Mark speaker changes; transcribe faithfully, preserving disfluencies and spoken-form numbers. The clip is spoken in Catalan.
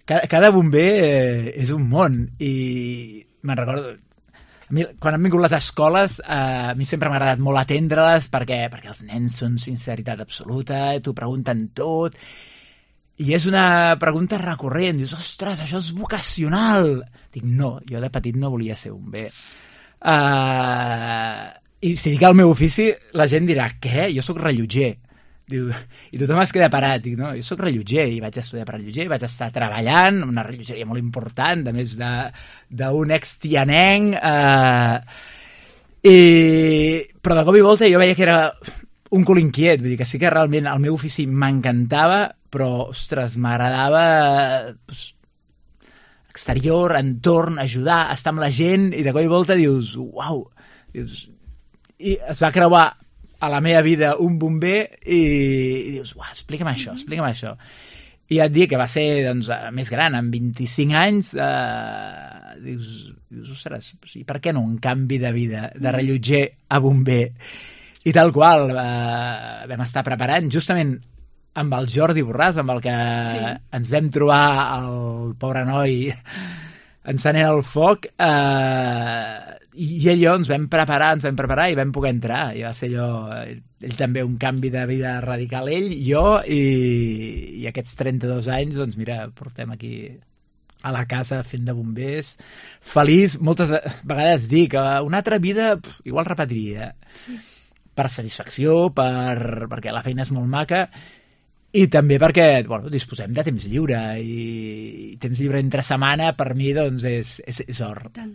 Speaker 1: cada, cada bomber eh, és un món, i me'n recordo... A mi, quan han vingut les escoles, eh, a mi sempre m'ha agradat molt atendre-les perquè, perquè els nens són sinceritat absoluta, t'ho pregunten tot, i és una pregunta recurrent. Dius, ostres, això és vocacional. Dic, no, jo de petit no volia ser bomber. Uh, I si dic el meu ofici, la gent dirà, què? Jo sóc rellotger. Diu, i tothom es queda parat. Dic, no, jo sóc rellotger i vaig estudiar per rellotger, vaig estar treballant, una rellotgeria molt important, a més d'un ex-tianenc, eh, i... però de cop i volta jo veia que era un cul inquiet, vull dir que sí que realment el meu ofici m'encantava, però, ostres, m'agradava pues, exterior, entorn, ajudar, estar amb la gent, i de cop i volta dius, uau, dius, i es va creuar a la meva vida un bomber i, i dius, uau, explica'm això, explica'm això. I et dic que va ser doncs, més gran, amb vint-i-cinc anys, eh, dius, dius, ostres, i per què no un canvi de vida, de rellotger a bomber? I tal qual, eh, vam estar preparant justament amb el Jordi Borràs, amb el que sí. ens vam trobar el pobre noi encenent el foc, eh, i ell i jo ens vam preparar, ens vam preparar i vam poder entrar. I va ser allò, ell també un canvi de vida radical, ell, jo, i, i aquests trenta-dos anys, doncs mira, portem aquí a la casa fent de bombers, feliç. Moltes vegades dic, una altra vida pf, igual repetiria. Sí. Per satisfacció, per, perquè la feina és molt maca, i també perquè bueno, disposem de temps lliure, i temps lliure entre setmana per mi doncs, és, és, és or.
Speaker 2: Tant.